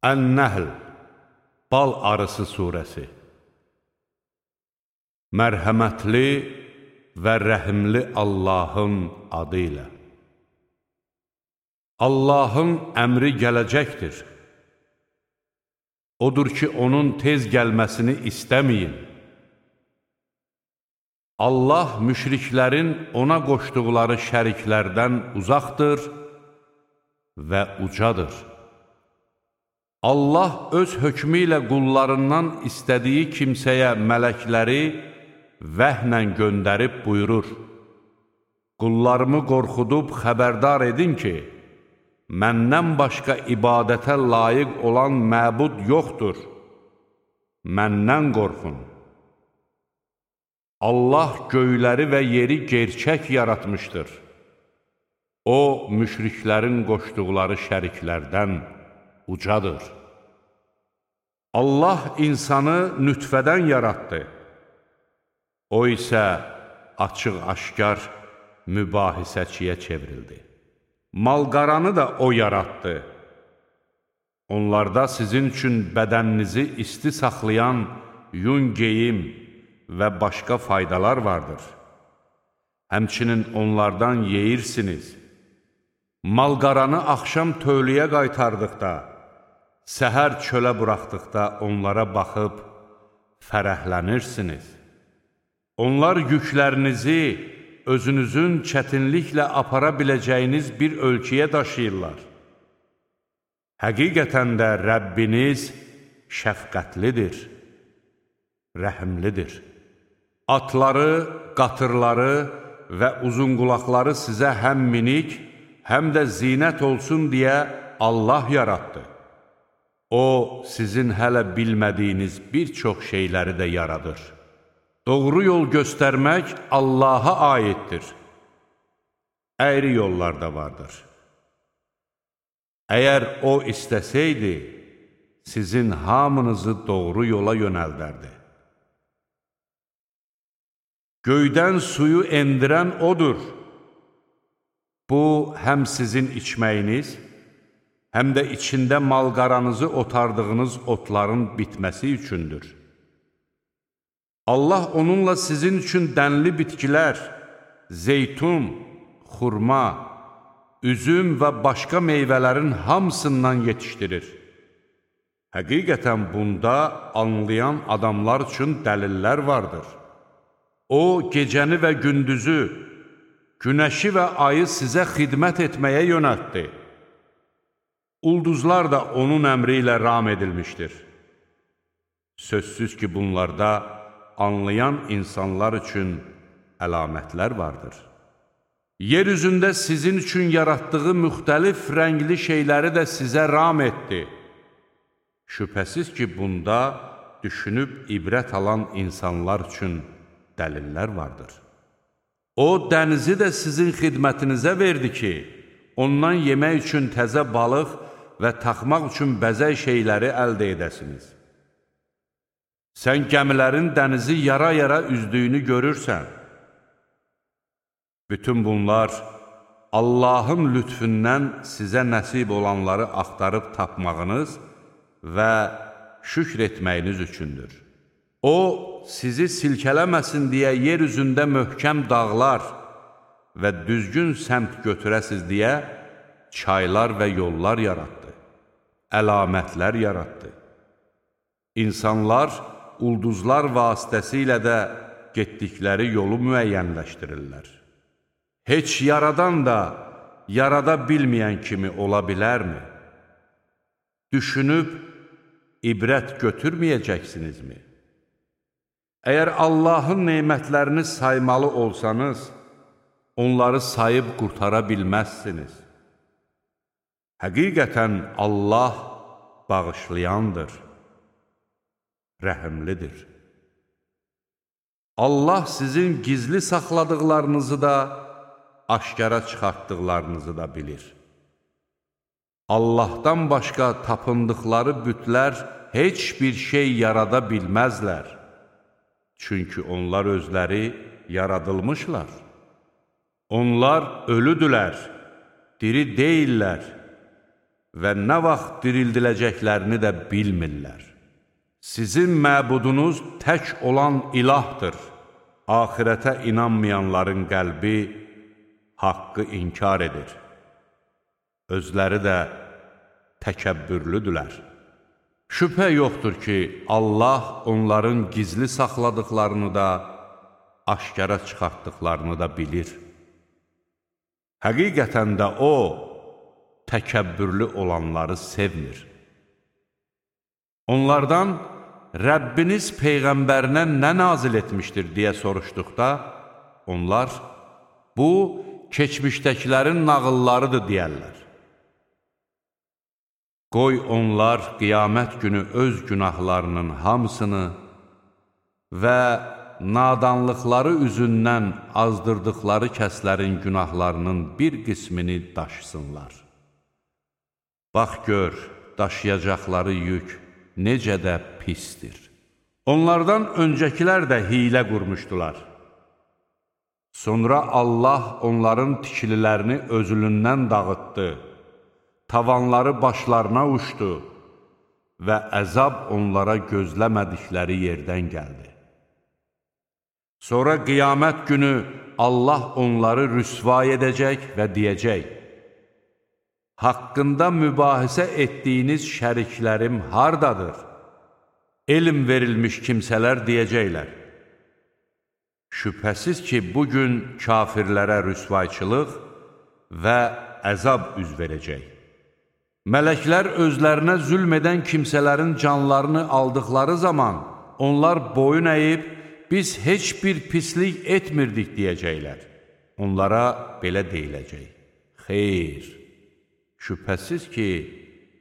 Ən-Nəhl, Bal Arısı surəsi. Mərhəmətli və rəhimli Allahın adı ilə. Allahın əmri gələcəkdir. Odur ki, onun tez gəlməsini istəməyin. Allah müşriklərin ona qoşduqları şəriklərdən uzaqdır və ucadır. Allah öz hökmü ilə qullarından istədiyi kimsəyə mələkləri vəhnən göndərib buyurur: Qullarımı qorxudub xəbərdar edin ki, məndən başqa ibadətə layiq olan məbud yoxdur. Məndən qorxun. Allah göyləri və yeri gerçək yaratmışdır. O, müşriklərin qoşduqları şəriklərdən ucadır. Allah insanı nütfədən yaratdı. O isə açıq-aşkar mübahisəçiyə çevrildi. Malqaranı da o yaratdı. Onlarda sizin üçün bədəninizi isti saxlayan yun geyim və başqa faydalar vardır. Həmçinin onlardan yeyirsiniz. Malqaranı axşam tövləyə qaytardıqda, səhər çölə buraxdıqda onlara baxıb fərəhlənirsiniz. Onlar yüklərinizi özünüzün çətinliklə apara biləcəyiniz bir ölkəyə daşıyırlar. Həqiqətən də Rəbbiniz şəfqətlidir, rəhimlidir. Atları, qatırları və uzunqulaqları sizə həm minik, həm də zinət olsun deyə Allah yaratdı. O, sizin hələ bilmədiyiniz bir çox şeyləri də yaradır. Doğru yol göstərmək Allaha aiddir. Əyri yollar da vardır. Əgər O istəsəydi, sizin hamınızı doğru yola yönəldərdi. Göydən suyu endirən O'dur. Bu, həm sizin içməyiniz, həm də içində malqaranızı otardığınız otların bitməsi üçündür. Allah onunla sizin üçün dənli bitkilər, zeytun, xurma, üzüm və başqa meyvələrin hamısından yetişdirir. Həqiqətən bunda anlayan adamlar üçün dəlillər vardır. O, gecəni və gündüzü, günəşi və ayı sizə xidmət etməyə yönəltdi. Ulduzlar da onun əmri ilə ram edilmişdir. Sözsüz ki, bunlarda anlayan insanlar üçün əlamətlər vardır. Yer üzündə sizin üçün yaratdığı müxtəlif rəngli şeyləri də sizə ram etdi. Şübhəsiz ki, bunda düşünüb ibrət alan insanlar üçün dəlillər vardır. O, dənizi də sizin xidmətinizə verdi ki, ondan yemək üçün təzə balıq və taxmaq üçün bəzək şeyləri əldə edəsiniz. Sən gəmilərin dənizi yara-yara üzdüyünü görürsən. Bütün bunlar Allahın lütfündən sizə nəsib olanları axtarıb tapmağınız və şükr etməyiniz üçündür. O, sizi silkələməsin deyə yer üzündə möhkəm dağlar və düzgün səmt götürəsiz deyə çaylar və yollar yaratdı, əlamətlər yaratdı. İnsanlar ulduzlar vasitəsilə də getdikləri yolu müəyyənləşdirirlər. Heç yaradan da yarada bilməyən kimi ola bilərmi? Düşünüb ibrət götürməyəcəksinizmi? Əgər Allahın nemətlərini saymalı olsanız, onları sayıb qurtara bilməzsiniz. Həqiqətən Allah bağışlayandır, rəhimlidir. Allah sizin gizli saxladıqlarınızı da, aşkara çıxartdıqlarınızı da bilir. Allahdan başqa tapındıqları bütlər heç bir şey yarada bilməzlər. Çünki onlar özləri yaradılmışlar. Onlar ölüdülər, diri deyillər. və nə vaxt dirildiləcəklərini də bilmirlər. Sizin məbudunuz tək olan ilahdır. Axirətə inanmayanların qəlbi haqqı inkar edir. Özləri də təkəbbürlüdülər. Şübhə yoxdur ki, Allah onların gizli saxladıqlarını da, aşkara çıxartdıqlarını da bilir. Həqiqətən də O, təkəbbürlü olanları sevmir. Onlardan Rəbbiniz Peyğəmbərinə nə nazil etmişdir deyə soruşduqda, onlar, bu, keçmişdəkilərin nağıllarıdır deyərlər. Qoy onlar qiyamət günü öz günahlarının hamısını və nadanlıqları üzündən azdırdıqları kəslərin günahlarının bir qismini daşısınlar. Bax gör, daşıyacaqları yük necə də pisdir. Onlardan öncəkilər də hiylə qurmuşdular. Sonra Allah onların tikililərini özülündən dağıtdı, tavanları başlarına uçdu və əzab onlara gözləmədikləri yerdən gəldi. Sonra qiyamət günü Allah onları rüsvay edəcək və deyəcək, haqqında mübahisə etdiyiniz şəriklərim hardadır? Elm verilmiş kimsələr deyəcəklər. Şübhəsiz ki, bugün kafirlərə rüsvayçılıq və əzab üz verəcək. Mələklər özlərinə zülm edən kimsələrin canlarını aldıqları zaman onlar boyun əyib, biz heç bir pislik etmirdik deyəcəklər. Onlara belə deyiləcək. Xeyr, şübhəsiz ki,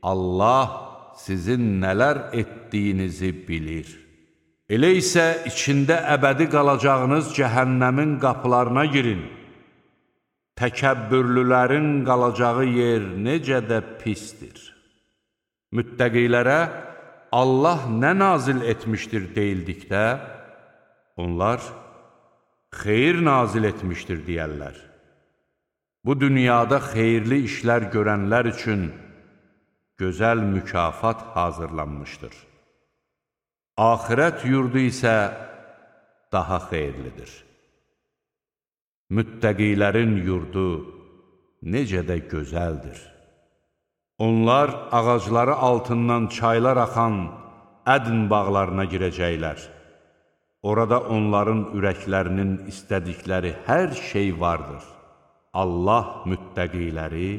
Allah sizin nələr etdiyinizi bilir. Elə isə içində əbədi qalacağınız cəhənnəmin qapılarına girin. Təkəbbürlülərin qalacağı yer necə də pisdir. Müttəqilərə Allah nə nazil etmişdir deyildikdə, onlar xeyir nazil etmişdir deyərlər. Bu dünyada xeyirli işlər görənlər üçün gözəl mükafat hazırlanmışdır. Axirət yurdu isə daha xeyirlidir. Müttəqilərin yurdu necə də gözəldir. Onlar ağacları altından çaylar axan ədn bağlarına girəcəklər. Orada onların ürəklərinin istədikləri hər şey vardır. Allah müttəqiləri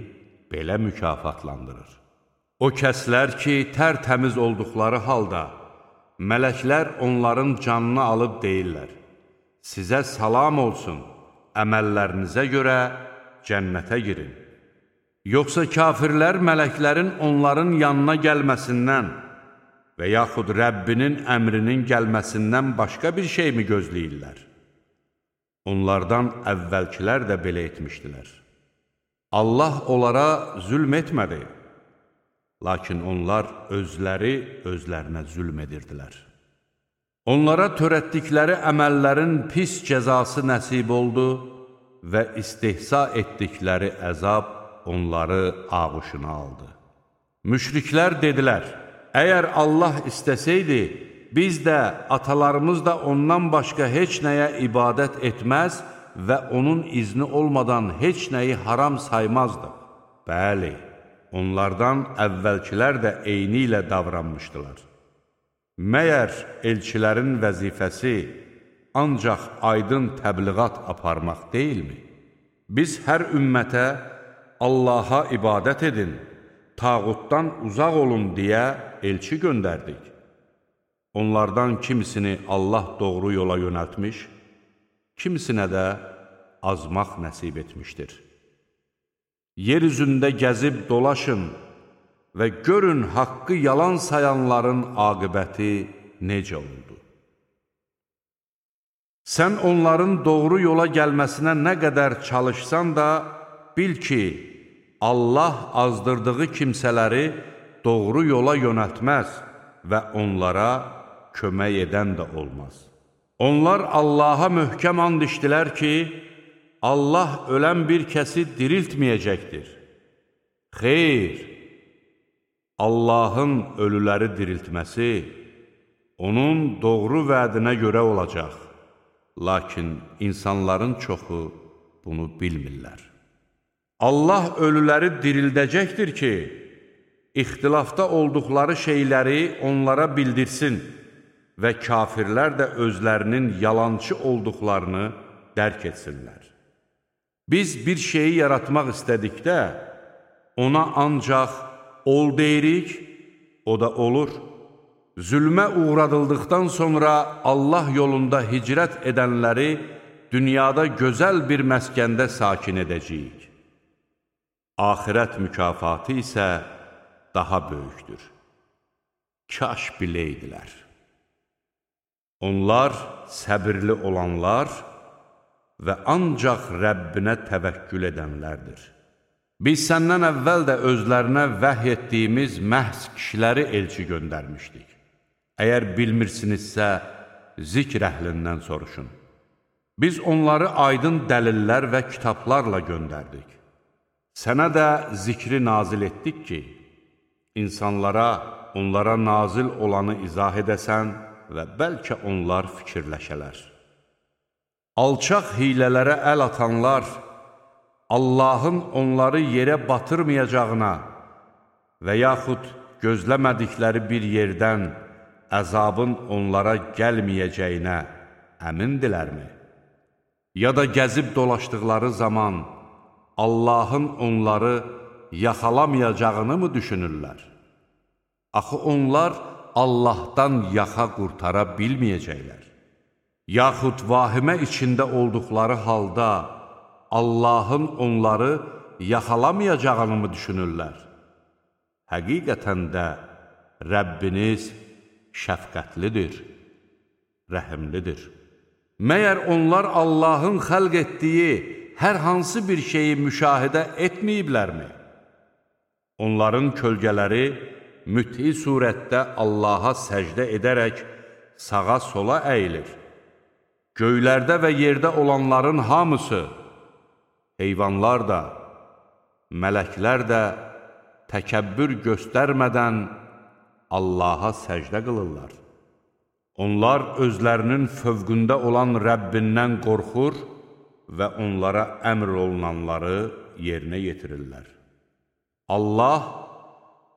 belə mükafatlandırır. O kəslər ki, tərtəmiz olduqları halda, mələklər onların canını alıb deyirlər, sizə salam olsun, əməllərinizə görə cənnətə girin. Yoxsa kafirlər mələklərin onların yanına gəlməsindən və yaxud Rəbbinin əmrinin gəlməsindən başqa bir şey mi gözləyirlər? Onlardan əvvəlkilər də belə etmişdilər. Allah onlara zülm etmədi, lakin onlar özləri özlərinə zülm edirdilər. Onlara törətdikləri əməllərin pis cəzası nəsib oldu və istehza etdikləri əzab onları ağuşuna aldı. Müşriklər dedilər, əgər Allah istəsəydi, biz də, atalarımız da ondan başqa heç nəyə ibadət etməz və onun izni olmadan heç nəyi haram saymazdı. Bəli, onlardan əvvəlkilər də eyni ilə davranmışdılar. Məyər elçilərin vəzifəsi ancaq aydın təbliğat aparmaq deyilmi? Biz hər ümmətə Allaha ibadət edin, tağutdan uzaq olun deyə elçi göndərdik. Onlardan kimisini Allah doğru yola yönəltmiş, kimisinə də azmaq nəsib etmişdir. Yer üzündə gəzib dolaşın və görün haqqı yalan sayanların aqibəti necə oldu. Sən onların doğru yola gəlməsinə nə qədər çalışsan da, bil ki, Allah azdırdığı kimsələri doğru yola yönəltməz və onlara kömək edən də olmaz. Onlar Allaha möhkəm and içdilər ki, Allah ölən bir kəsi diriltməyəcəkdir. Xeyr, Allahın ölüləri diriltməsi onun doğru vədinə görə olacaq. Lakin insanların çoxu bunu bilmirlər. Allah ölüləri dirildəcəkdir ki, ixtilafda olduqları şeyləri onlara bildirsin və kafirlər də özlərinin yalançı olduqlarını dərk etsinlər. Biz bir şeyi yaratmaq istədikdə, ona ancaq ol deyirik, o da olur. Zülmə uğradıldıqdan sonra Allah yolunda hicrət edənləri dünyada gözəl bir məskəndə sakin edəcəyik. Axirət mükafatı isə daha böyükdür. Kaş biləydilər. Onlar səbirli olanlar və ancaq Rəbbinə təvəkkül edənlərdir. Biz səndən əvvəl də özlərinə vəhy etdiyimiz məhz kişiləri elçi göndərmişdik. Əgər bilmirsinizsə, zikr əhlindən soruşun. Biz onları aydın dəlillər və kitablarla göndərdik. Sənə də zikri nazil etdik ki, insanlara, onlara nazil olanı izah edəsən və bəlkə onlar fikirləşələr. Alçaq hilələrə əl atanlar, Allahın onları yerə batırmayacağına və yaxud gözləmədikləri bir yerdən əzabın onlara gəlməyəcəyinə əmindilərmi? Ya da gəzib dolaşdıqları zaman Allahın onları yaxalamayacağını mı düşünürlər? Axı onlar Allahdan yaxa qurtara bilməyəcəklər. Yaxud vahimə içində olduqları halda Allahın onları yaxalamayacağını mı düşünürlər? Həqiqətən də Rəbbiniz şəfqətlidir, rəhimlidir. Məyər onlar Allahın xəlq etdiyi hər hansı bir şeyi müşahidə etməyiblərmi? Onların kölgələri müthiy surətdə Allaha səcdə edərək sağa-sola əyilir. Göylərdə və yerdə olanların hamısı, heyvanlar da, mələklər də təkəbbür göstərmədən Allaha səcdə qılırlar. Onlar özlərinin fövqündə olan Rəbbindən qorxur və onlara əmr olunanları yerinə yetirirlər. Allah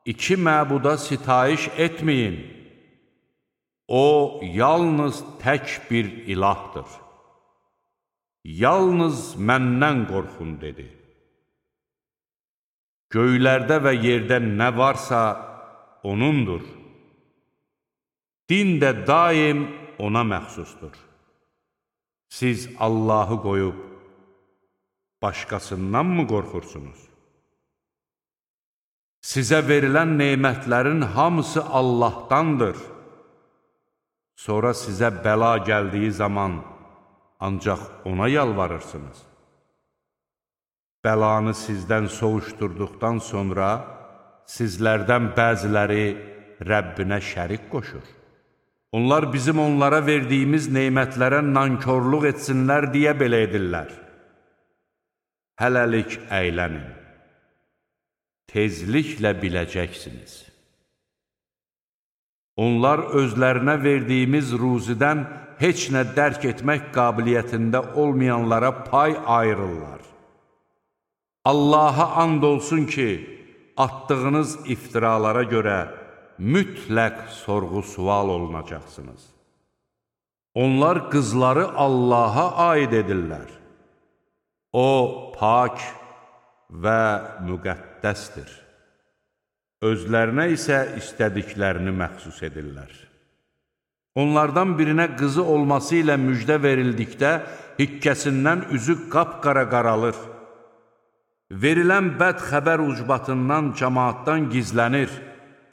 iki məbuda sitayiş etməyin. O, yalnız tək bir ilahdır. Yalnız məndən qorxun, dedi. Göylərdə və yerdə nə varsa O'nundur. Din də daim O'na məxsusdur. Siz Allahı qoyub başqasından mı qorxursunuz? Sizə verilən nemətlərin hamısı Allahdandır. Sonra sizə bəla gəldiyi zaman ancaq O'na yalvarırsınız. Bəlanı sizdən soğuşturduqdan sonra sizlərdən bəziləri Rəbbinə şərik qoşur. Onlar bizim onlara verdiyimiz nemətlərə nankörlük etsinlər deyə belə edirlər. Hələlik əylənin. Tezliklə biləcəksiniz. Onlar özlərinə verdiyimiz ruzidən heç nə dərk etmək qabiliyyətində olmayanlara pay ayırırlar. Allaha and olsun ki, atdığınız iftiralara görə mütləq sorğu-sual olunacaqsınız. Onlar qızları Allaha aid edirlər. O, pak və müqəddəsdir. Özlərinə isə istədiklərini məxsus edirlər. Onlardan birinə qızı olması ilə müjdə verildikdə hikkəsindən üzü qapqara qaralır. Verilən bəd xəbər ucbatından cəmaatdan gizlənir,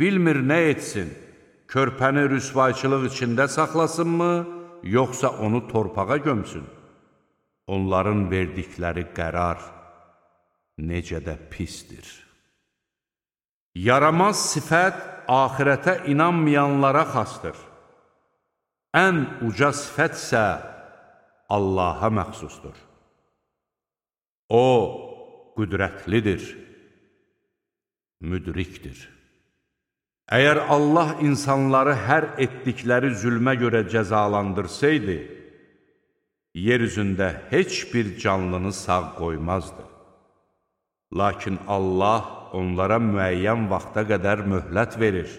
bilmir nə etsin, körpəni rüsvayçılıq içində saxlasınmı, yoxsa onu torpağa gömsün? Onların verdikləri qərar necə də pisdir. Yaramaz sifət axirətə inanmayanlara xasdır. Ən uca sifət isə Allaha məxsusdur. O, qüdrətlidir, müdrikdir. Əgər Allah insanları hər etdikləri zülmə görə cəzalandırsaydı, yer üzündə heç bir canlını sağ qoymazdı. Lakin Allah onlara müəyyən vaxta qədər möhlət verir.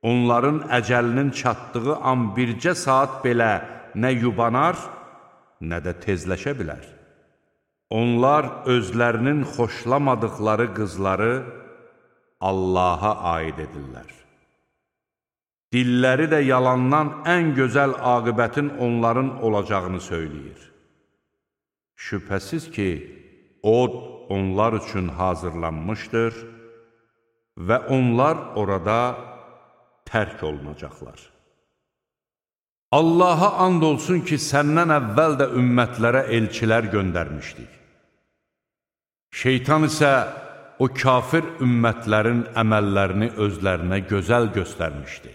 Onların əcəlinin çatdığı an bircə saat belə nə yubanar, nə də tezləşə bilər. Onlar özlərinin xoşlamadıqları qızları Allaha aid edirlər. Dilləri də yalandan ən gözəl aqibətin onların olacağını söyləyir. Şübhəsiz ki, od onlar üçün hazırlanmışdır və onlar orada tərk olunacaqlar. Allaha and olsun ki, səndən əvvəl də ümmətlərə elçilər göndərmişdik. Şeytan isə o kafir ümmətlərin əməllərini özlərinə gözəl göstərmişdi.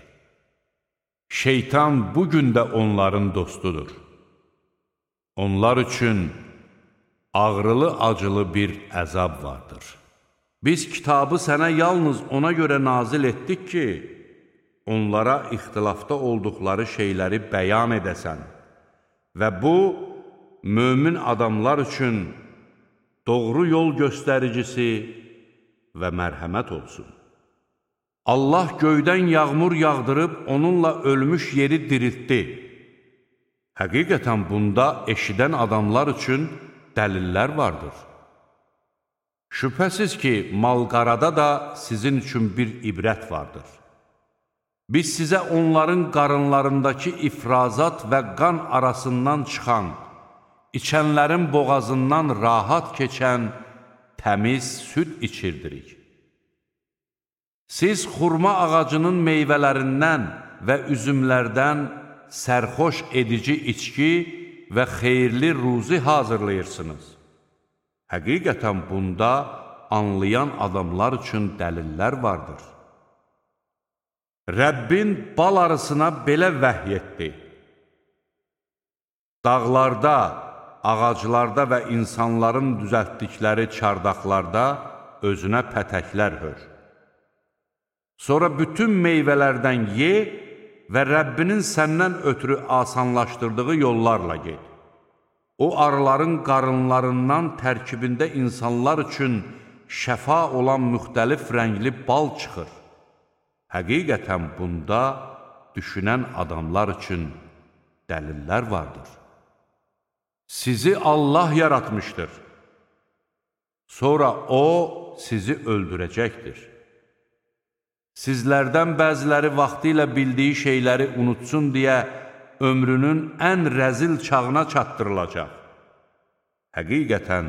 Şeytan bugün də onların dostudur. Onlar üçün ağrılı-acılı bir əzab vardır. Biz kitabı sənə yalnız ona görə nazil etdik ki, onlara ixtilafda olduqları şeyləri bəyan edəsən və bu, mömin adamlar üçün doğru yol göstəricisi və mərhəmət olsun. Allah göydən yağmur yağdırıb onunla ölmüş yeri diriltdi. Həqiqətən bunda eşidən adamlar üçün dəlillər vardır. Şübhəsiz ki, mal-qarada da sizin üçün bir ibrət vardır. Biz sizə onların qarınlarındakı ifrazat və qan arasından çıxan, içənlərin boğazından rahat keçən təmiz süd içirdirik. Siz xurma ağacının meyvələrindən və üzümlərdən sərxoş edici içki və xeyirli ruzi hazırlayırsınız. Həqiqətən bunda anlayan adamlar üçün dəlillər vardır. Rəbbin bal arısına belə vəhy etdi. Dağlarda, ağaclarda və insanların düzəltdikləri çardaqlarda özünə pətəklər hör. Sonra bütün meyvələrdən ye və Rəbbinin səndən ötürü asanlaşdırdığı yollarla get. O arıların qarınlarından tərkibində insanlar üçün şəfa olan müxtəlif rəngli bal çıxır. Həqiqətən bunda düşünən adamlar üçün dəlillər vardır. Sizi Allah yaratmışdır. Sonra O sizi öldürəcəkdir. Sizlərdən bəziləri vaxtı ilə bildiyi şeyləri unutsun deyə ömrünün ən rəzil çağına çatdırılacaq. Həqiqətən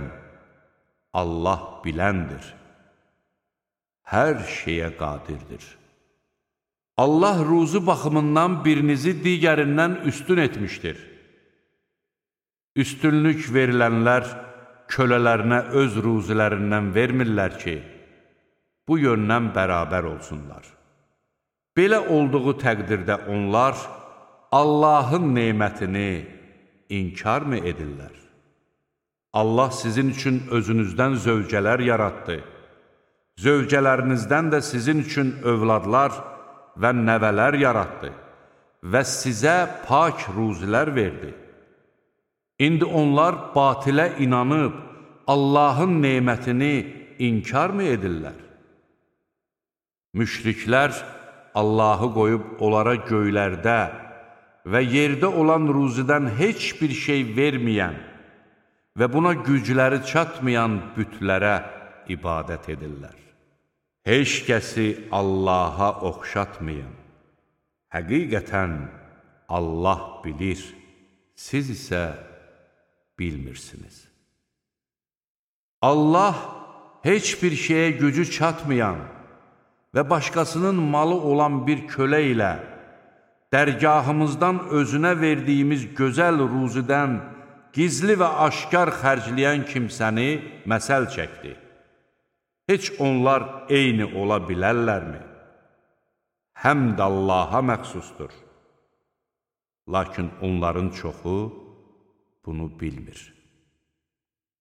Allah biləndir, hər şeyə qadirdir. Allah ruzu baxımından birinizi digərindən üstün etmişdir. Üstünlük verilənlər kölələrinə öz ruzilərindən vermirlər ki, bu yöndən bərabər olsunlar. Belə olduğu təqdirdə onlar Allahın nemətini inkar mı edirlər? Allah sizin üçün özünüzdən zövcələr yaratdı. Zövcələrinizdən də sizin üçün övladlar və nəvələr yaratdı və sizə pak ruzilər verdi. İndi onlar batilə inanıb Allahın nemətini inkar mı edirlər? Müşriklər Allahı qoyub onlara göylərdə və yerdə olan ruzidən heç bir şey verməyən və buna gücləri çatmayan bütlərə ibadət edirlər. Heç kəsi Allaha oxşatmayın. Həqiqətən Allah bilir, siz isə bilmirsiniz. Allah heç bir şeyə gücü çatmayan və başqasının malı olan bir kölə ilə dərgahımızdan özünə verdiyimiz gözəl ruzidən gizli və aşkar xərcləyən kimsəni məsəl çəkdi. Heç onlar eyni ola bilərlərmi? Həmd Allaha məxsusdur. Lakin onların çoxu bunu bilmir.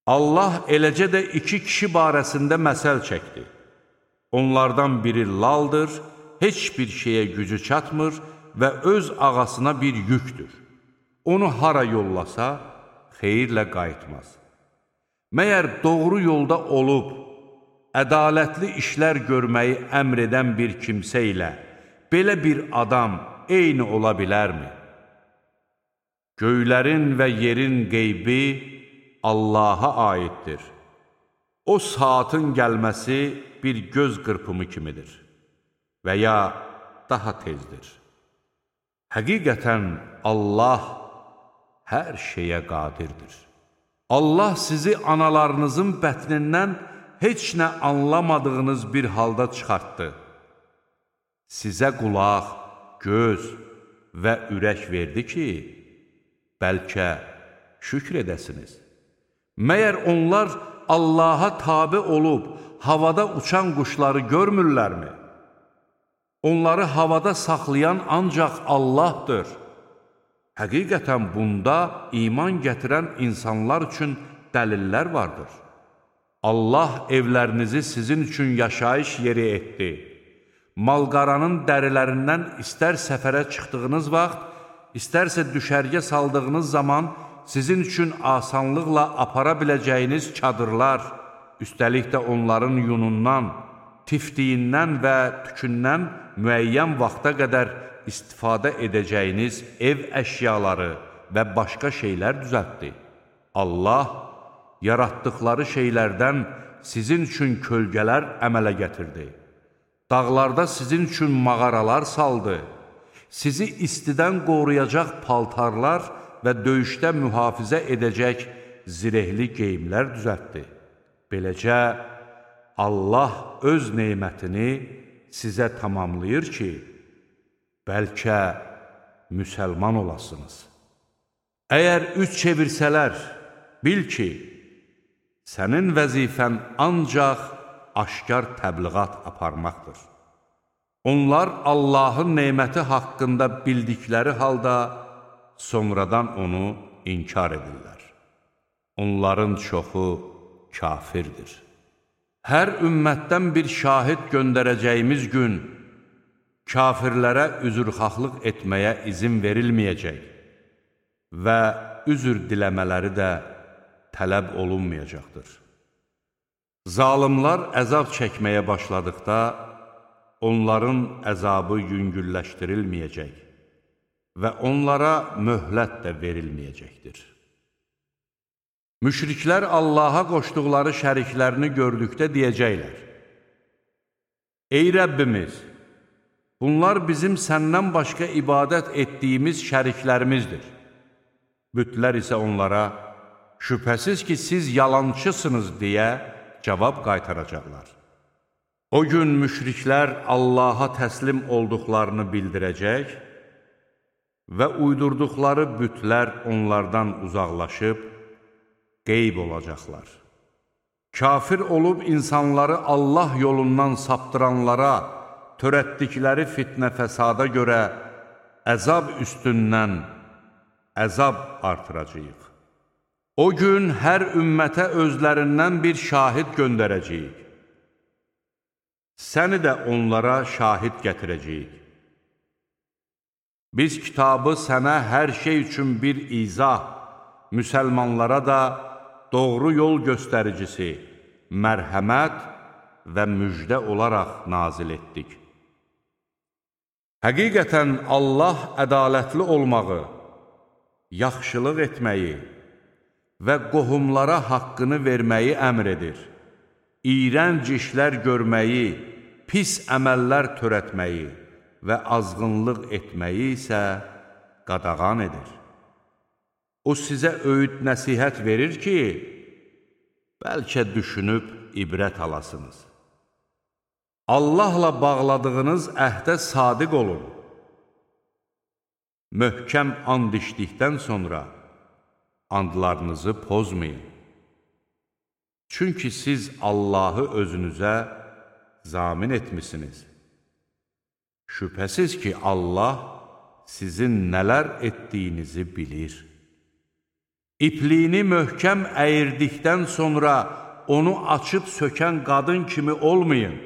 Allah eləcə də iki kişi barəsində məsəl çəkdi. Onlardan biri laldır, heç bir şeyə gücü çatmır və öz ağasına bir yükdür. Onu hara yollasa, xeyirlə qayıtmaz. Məyər doğru yolda olub, ədalətli işlər görməyi əmr edən bir kimsə ilə belə bir adam eyni ola bilərmi? Göylərin və yerin qeybi Allaha aiddir. O saatın gəlməsi bir göz qırpımı kimidir və ya daha tezdir. Həqiqətən Allah hər şeyə qadirdir. Allah sizi analarınızın bətnindən heç nə anlamadığınız bir halda çıxartdı. Sizə qulaq, göz və ürək verdi ki, bəlkə şükr edəsiniz. Məyər onlar Allaha tabe olub havada uçan quşları görmürlərmi? Onları havada saxlayan ancaq Allahdır. Həqiqətən bunda iman gətirən insanlar üçün dəlillər vardır. Allah evlərinizi sizin üçün yaşayış yeri etdi. Malqaranın dərilərindən istər səfərə çıxdığınız vaxt, istərsə düşərgə saldığınız zaman sizin üçün asanlıqla apara biləcəyiniz çadırlar, üstəlik də onların yunundan, tiftiyindən və tükündən müəyyən vaxta qədər istifadə edəcəyiniz ev əşyaları və başqa şeylər düzəltdi. Allah yaratdıqları şeylərdən sizin üçün kölgələr əmələ gətirdi. Dağlarda sizin üçün mağaralar saldı. Sizi istidən qoruyacaq paltarlar və döyüşdə mühafizə edəcək zirehli geyimlər düzəltdi. Beləcə, Allah öz neymətini sizə tamamlayır ki, bəlkə müsəlman olasınız. Əgər üç çevirsələr, bil ki, sənin vəzifən ancaq aşkar təbliğat aparmaqdır. Onlar Allahın neyməti haqqında bildikləri halda sonradan onu inkar edirlər. Onların çoxu kafirdir. Hər ümmətdən bir şahid göndərəcəyimiz gün kafirlərə üzrxahlıq etməyə izin verilməyəcək və üzr diləmələri də tələb olunmayacaqdır. Zalimlar əzab çəkməyə başladıqda onların əzabı yüngülləşdirilməyəcək və onlara möhlət də verilməyəcəkdir. Müşriklər Allaha qoşduqları şəriklərini gördükdə deyəcəklər: Ey Rəbbimiz! Bunlar bizim səndən başqa ibadət etdiyimiz şəriklərimizdir. Bütlər isə onlara, şübhəsiz ki, siz yalançısınız deyə cavab qaytaracaqlar. O gün müşriklər Allaha təslim olduqlarını bildirəcək və uydurduqları bütlər onlardan uzaqlaşıb qeyb olacaqlar. Kafir olub insanları Allah yolundan saptıranlara törətdikləri fitnə fəsada görə əzab üstündən əzab artıracağıq. O gün hər ümmətə özlərindən bir şahid göndərəcəyik. Səni də onlara şahid gətirəcəyik. Biz kitabı sənə hər şey üçün bir izah, müsəlmanlara da doğru yol göstəricisi, mərhəmət və müjdə olaraq nazil etdik. Həqiqətən Allah ədalətli olmağı, yaxşılıq etməyi və qohumlara haqqını verməyi əmr edir. İyrənc işlər görməyi, pis əməllər törətməyi və azğınlıq etməyi isə qadağan edir. O sizə öyüd nəsihət verir ki, bəlkə düşünüb ibrət alasınız. Allahla bağladığınız əhdə sadiq olun. Möhkəm and içdikdən sonra andlarınızı pozmayın. Çünki siz Allahı özünüzə zamin etmisiniz. Şübhəsiz ki, Allah sizin nələr etdiyinizi bilir. İpliyini möhkəm əyirdikdən sonra onu açıb sökən qadın kimi olmayın.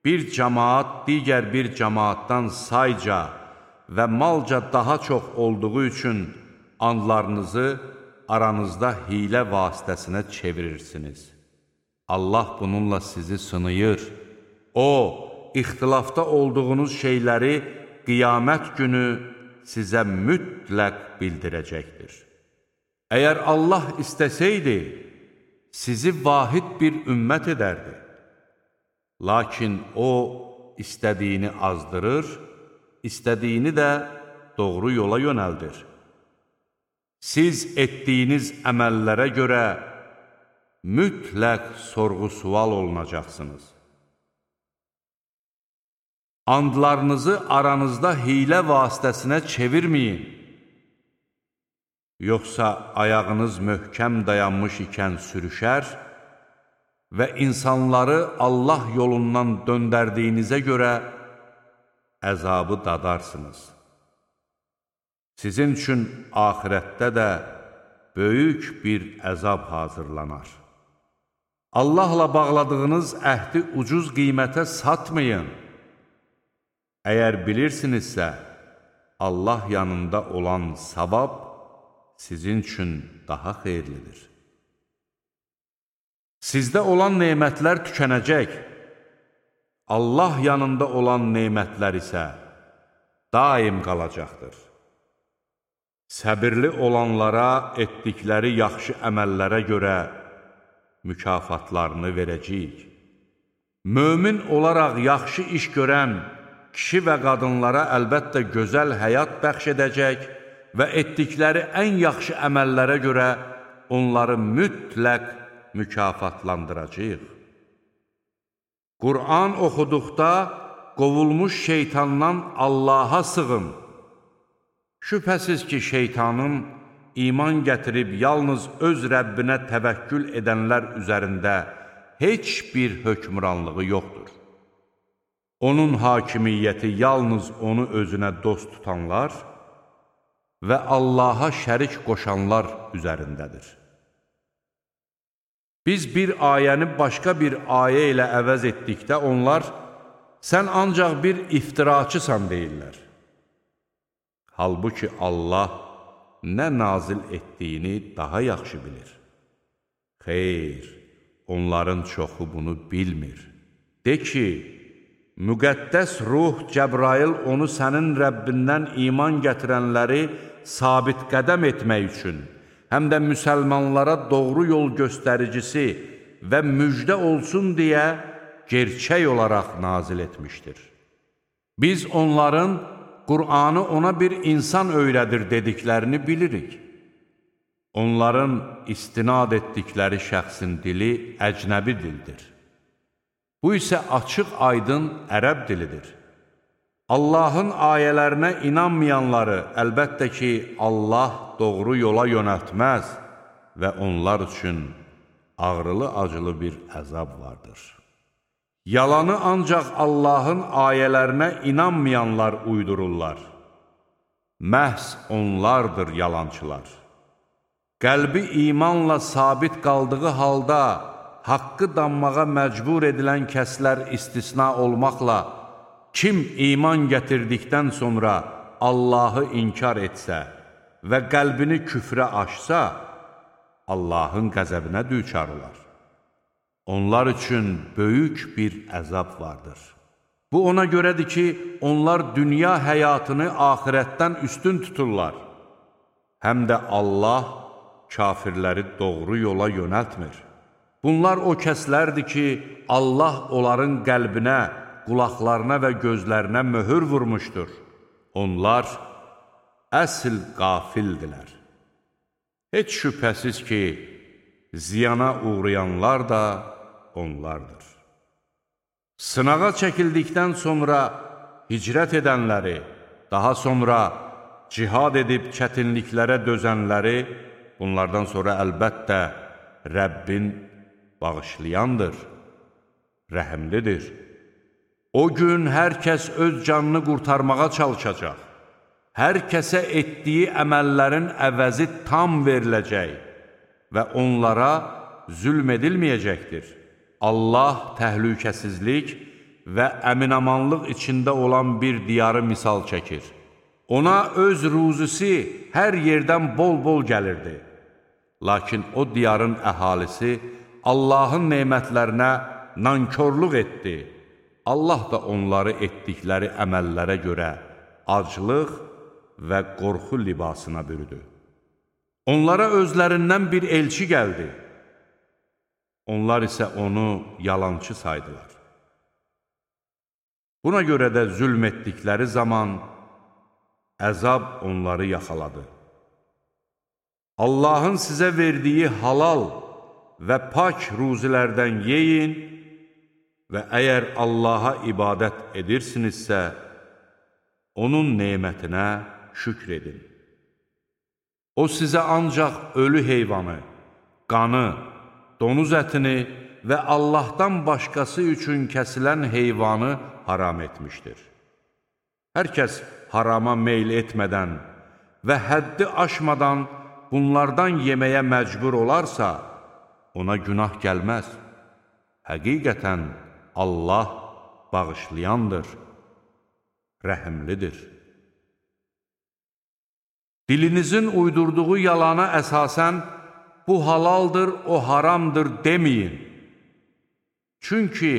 bir cəmaat digər bir cəmaatdan sayca və malca daha çox olduğu üçün andlarınızı aranızda hilə vasitəsinə çevirirsiniz. Allah bununla sizi sınayır. O, ixtilafda olduğunuz şeyləri qiyamət günü sizə mütləq bildirəcəkdir. Əgər Allah istəsəydi, sizi vahid bir ümmət edərdi. Lakin O, istədiyini azdırır, istədiyini də doğru yola yönəldir. Siz etdiyiniz əməllərə görə mütləq sorğu-sual olunacaqsınız. Andlarınızı aranızda hilə vasitəsinə çevirməyin. Yoxsa ayağınız möhkəm dayanmış ikən sürüşər və insanları Allah yolundan döndərdiyinizə görə əzabı dadarsınız. Sizin üçün axirətdə də böyük bir əzab hazırlanar. Allahla bağladığınız əhdi ucuz qiymətə satmayın. Əgər bilirsinizsə, Allah yanında olan savab sizin üçün daha xeyirlidir. Sizdə olan nemətlər tükənəcək. Allah yanında olan nemətlər isə daim qalacaqdır. Səbirli olanlara etdikləri yaxşı əməllərə görə mükafatlarını verəcəyik. Mömin olaraq yaxşı iş görən kişi və qadınlara əlbəttə gözəl həyat bəxş edəcək və etdikləri ən yaxşı əməllərə görə onları mütləq mükafatlandıracaq. Qur'an oxuduqda qovulmuş şeytandan Allaha sığın. Şübhəsiz ki, şeytanın iman gətirib yalnız öz Rəbbinə təvəkkül edənlər üzərində heç bir hökmranlığı yoxdur. Onun hakimiyyəti yalnız onu özünə dost tutanlar və Allaha şərik qoşanlar üzərindədir. Biz bir ayəni başqa bir ayə ilə əvəz etdikdə onlar, sən ancaq bir iftiraçısan deyirlər. Halbuki Allah nə nazil etdiyini daha yaxşı bilir. Xeyr, onların çoxu bunu bilmir. De ki, müqəddəs ruh Cəbrail onu sənin Rəbbindən iman gətirənləri sabit qədəm etmək üçün, həm də müsəlmanlara doğru yol göstəricisi və müjdə olsun deyə gerçək olaraq nazil etmişdir. Biz onların Qur'anı ona bir insan öyrədir dediklərini bilirik. Onların istinad etdikləri şəxsin dili əcnəbi dildir. Bu isə açıq-aydın ərəb dilidir. Allahın ayələrinə inanmayanları əlbəttə ki, Allah doğru yola yönəltməz və onlar üçün ağrılı-acılı bir əzab vardır. Yalanı ancaq Allahın ayələrinə inanmayanlar uydururlar. Məhz onlardır yalançılar. Qəlbi imanla sabit qaldığı halda haqqı danmağa məcbur edilən kəslər istisna olmaqla, kim iman gətirdikdən sonra Allahı inkar etsə və qəlbini küfrə açsa, Allahın qəzəbinə düçar olar. Onlar üçün böyük bir əzab vardır. Bu ona görədir ki, onlar dünya həyatını axirətdən üstün tuturlar. Həm də Allah kafirləri doğru yola yönəltmir. Bunlar o kəslərdir ki, Allah onların qəlbinə, qulaqlarına və gözlərinə möhür vurmuşdur. Onlar əsl qafildilər. Heç şübhəsiz ki, ziyana uğrayanlar da onlardır. Sınağa çəkildikdən sonra hicrət edənləri, daha sonra cihad edib çətinliklərə dözənləri, bunlardan sonra əlbəttə Rəbbin bağışlayandır, rəhimlidir. O gün hər kəs öz canını qurtarmağa çalışacaq. Hər kəsə etdiyi əməllərin əvəzi tam veriləcək və onlara zülm edilməyəcəkdir. Allah təhlükəsizlik və əminamanlıq içində olan bir diyarı misal çəkir. Ona öz ruzisi hər yerdən bol-bol gəlirdi. Lakin o diyarın əhalisi Allahın nemətlərinə nankörlük etdi. Allah da onları etdikləri əməllərə görə aclıq və qorxu libasına bürüdü. Onlara özlərindən bir elçi gəldi. Onlar isə onu yalançı saydılar. Buna görə də zülm etdikləri zaman əzab onları yaxaladı. Allahın sizə verdiyi halal və pak ruzilərdən yeyin və əgər Allaha ibadət edirsinizsə, onun nemətinə şükr edin. O sizə ancaq ölü heyvanı, qanı, donuz ətini və Allahdan başqası üçün kəsilən heyvanı haram etmişdir. Hər kəs harama meyl etmədən və həddi aşmadan bunlardan yeməyə məcbur olarsa, ona günah gəlməz. Həqiqətən Allah bağışlayandır, rəhimlidir. Dilinizin uydurduğu yalana əsasən, bu halaldır, o haramdır deməyin. Çünki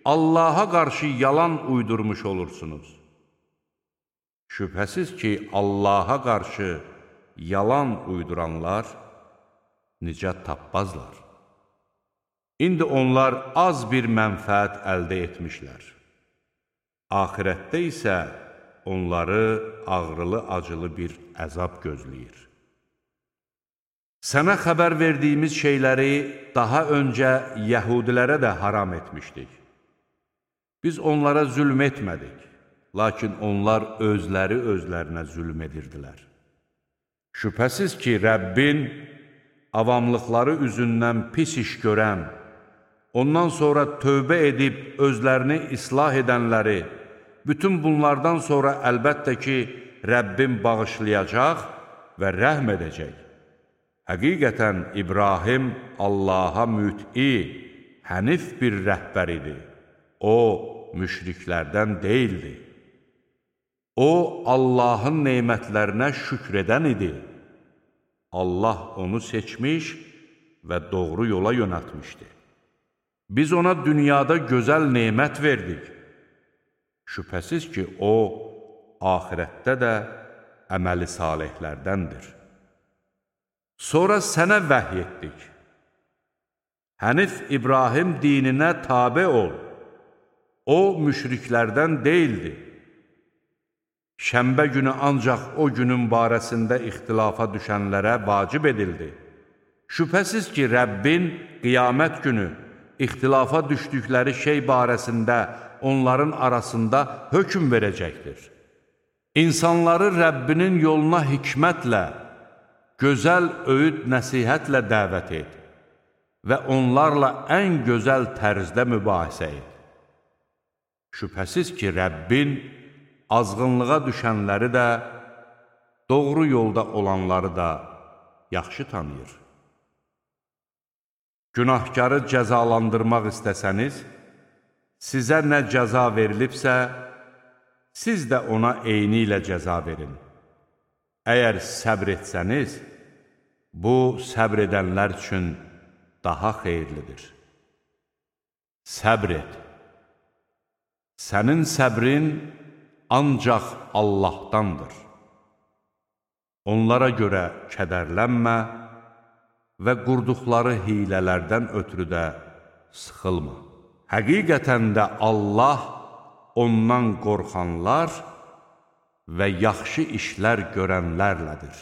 Allaha qarşı yalan uydurmuş olursunuz. Şübhəsiz ki, Allaha qarşı yalan uyduranlar nicat tapmazlar. İndi onlar az bir mənfəət əldə etmişlər. Axirətdə isə onları ağrılı-acılı bir əzab gözləyir. Sənə xəbər verdiyimiz şeyləri daha öncə yəhudilərə də haram etmişdik. Biz onlara zülm etmədik, lakin onlar özlərinə zülm edirdilər. Şübhəsiz ki, Rəbbin avamlıqları üzündən pis iş görən, ondan sonra tövbə edib özlərini islah edənləri, bütün bunlardan sonra əlbəttə ki, Rəbbin bağışlayacaq və rəhm edəcək. Həqiqətən İbrahim Allaha müt'i, hənif bir rəhbər idi. O, müşriklərdən deyildi. O, Allahın nemətlərinə şükr edən idi. Allah onu seçmiş və doğru yola yönəltmişdi. Biz ona dünyada gözəl nemət verdik. Şübhəsiz ki, o, axirətdə də əməli salihlərdəndir. Sonra sənə vəhy etdik. Hənif İbrahim dininə tabe ol. O, müşriklərdən deyildi. Şənbə günü ancaq o günün barəsində ixtilafa düşənlərə vacib edildi. Şübhəsiz ki, Rəbbin qiyamət günü ixtilafa düşdükləri şey barəsində onların arasında hökm verəcəkdir. İnsanları Rəbbinin yoluna hikmətlə, gözəl öyüd nəsihətlə dəvət et və onlarla ən gözəl tərzdə mübahisə et. Şübhəsiz ki, Rəbbin azğınlığa düşənləri də, doğru yolda olanları da yaxşı tanıyır. Günahkarı cəzalandırmaq istəsəniz, sizə nə cəza verilibsə, siz də ona eyni ilə cəza verin. Əgər səbr etsəniz, bu səbr edənlər üçün daha xeyirlidir. Səbr et. Sənin səbrin ancaq Allahdandır. Onlara görə kədərlənmə və qurduqları hilələrdən ötürü də sıxılma. Həqiqətən də Allah ondan qorxanlar və yaxşı işlər görənlərlədir.